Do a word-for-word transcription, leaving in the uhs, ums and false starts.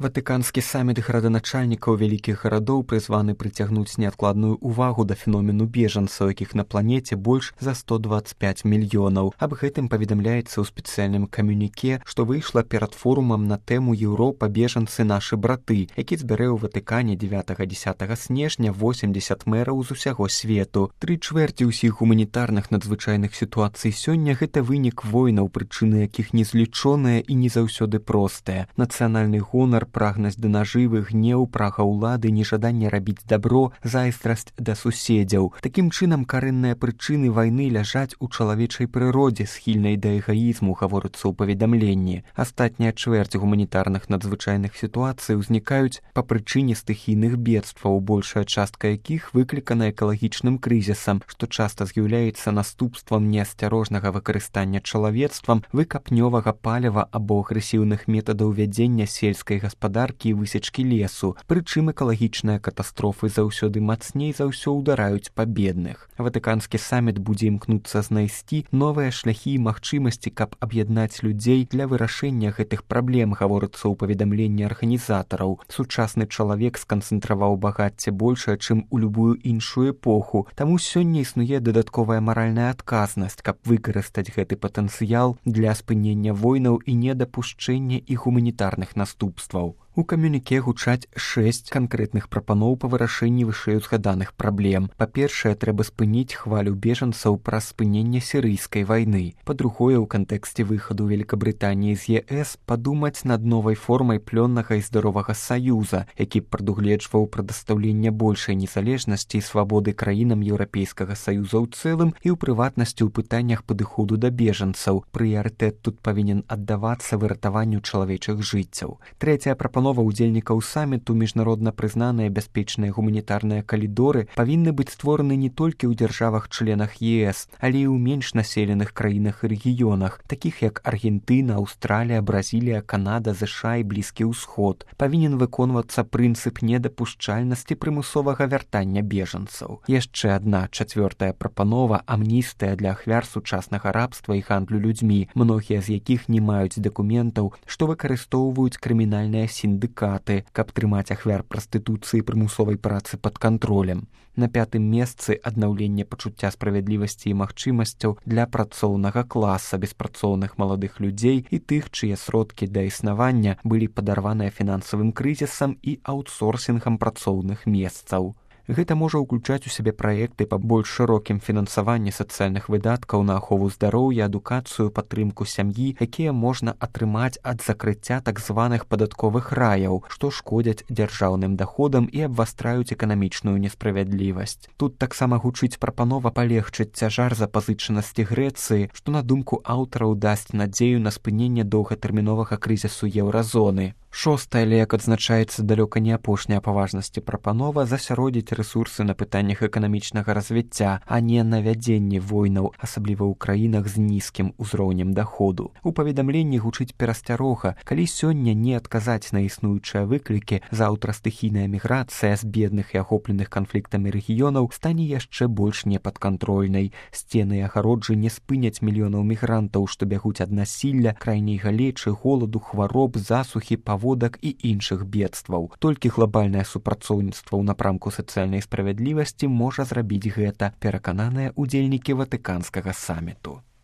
Ватыканскі саміт граданачальнікаў вялікіх гарадоў прызваны прыцягнуць неадкладную ўвагу да феномену бежанцаў, якіх на планеце больш за сто дваццаць пяць мільёнаў. Аб гэтым паведамляецца ў спецыяльным камюніке, што выйшла перад форумам на тэму «Еўропа, бежанцы, нашы браты», які збярэ ў Ватыкане дзевятага-дзесятага снежня восемдзесят мэраў з усяго свету. Тры чвэрці ўсіх гуманітарных надзвычайных сітуацый сёння гэта вынік войнаў, прычыны якіх незлічоныя і не заўсёды простыя. Нацыянальны гонар, прагнасць да нажывы, гнеў, прага ўлады, нежаданне рабіць дабро, зайздрасць да суседзяў. Такім чынам, карэнныя прычыны вайны ляжаць у чалавечай прыродзе, схільнай да эгаізму, гаворыцца ў паведамленні. Астатняя чвэрць гуманітарных надзвычайных сітуацый узнікаюць па прычыне стыхійных бедстваў, большая частка якіх выклікана экалагічным крызісам, што часта з'яўляецца наступствам неасцярожнага выкарыстання чалавецтвам выкапнёвага паліва або агрэсіўных метадаў вядзення сельскай гаспадаркі і высечкі лесу. Прычым экалагічныя катастрофы заўсёды мацней за ўсё ўдараюць па бедных. Ватыканскі саміт будзе імкнуцца знайсці новыя шляхі і магчымасці, каб аб'яднаць людзей для вырашэння гэтых праблем, гаворыцца ў паведамленні арганізатараў. Сучасны чалавек сканцэнтраваў багацце большае, чым у любую іншую эпоху, таму сёння існуе дадатковая маральная адказнасць, каб выкарыстаць гэты патэнцыял для спынення войнаў і недапушчэння іх гуманітарных наступстваў. У камюніке гучаць шэсць канкрэтных прапаноў па вырашэнні вышэйузгаданых праблем. Па-першае, трэба спыніць хвалю бежанцаў праз спыненне сірыйскай вайны. Па-другое, у кантэксце выхаду Великабрытаніі з е эс падумаць над новай формай плённага і здаровага саюза, які б прадугледжваў прадастаўленне большай незалежнасці і свабоды краінам Еўрапейскага саюза ў цэлым і ў прыватнасці ў пытаннях падыходу да бежанцаў. Прыярытэт тут павінен аддавацца выратаванню чалавечых жыццяў. Трэцяя прапанова удзельнікаў саміту, міжнародна прызнаныя бяспечныя гуманітарныя калідоры павінны быць створаны не толькі ў дзяржавах-членах е эс, але і ў менш населеных краінах і рэгіёнах, такіх як Аргентына, Аўстралія, Бразілія, Канада, ЗША і Блізкі ўсход. Павінен выконвацца прынцып недапушчальнасці прымусовага вяртання бежанцаў. Яшчэ адна чацвёртая прапанова – амністыя для ахвяр сучаснага рабства і гандлю людзьмі, многія з якіх не маюць дакументаў, што выкарыстоўваюць крымінальныя сіндыкаты, каб трымаць ахвяр прастытуцыі і прымусовай працы пад кантролем. На пятым месцы аднаўленне пачуцця справядлівасці і магчымасцяў для працоўнага класа, беспрацоўных маладых людзей і тых, чые сродкі да існавання былі падарваныя фінансавым крызісам і аўтсорсінгам працоўных месцаў. Гэта можа ўключаць у сябе праекты па больш шырокім фінансаванні сацыяльных выдаткаў на ахову здароўя, адукацыю, падтрымку сям'і, якія можна атрымаць ад закрыцця так званых падатковых раяў, што шкодзяць дзяржаўным даходам і абвастраюць эканамічную несправядлівасць. Тут таксама гучыць прапанова палегчыць цяжар запазычанасці Грэцыі, што, на думку аўтараў, дасць надзею на спыненне доўгатэрміновага крызісу еўразоны. Шостая, але, як адзначаецца, далёка не апошняя па важнасці прапанова, засяродзіць рэсурсы на пытаннях эканамічнага развіцця, а не на вядзенне войнаў, асабліва ў краінах з нізкім узроўнем даходу. У паведамленні гучыць перасцярога, калі сёння не адказаць на існуючыя выклікі, заўтра стыхійная міграцыя з бедных і ахопленых канфліктамі рэгіёнаў стане яшчэ больш непадкантрольнай. Сцены і агароджы не спыняць мільёнаў мігрантаў, што бягуць ад насілля, крайняй галечы, голаду, хвароб, засухі, паводак і іншых бедстваў. Толькі глобальнае супрацоўніцтва ў напрамку сацыяльнай справядлівасці можа зрабіць гэта, перакананыя ўдзельнікі ватыканскага саміту.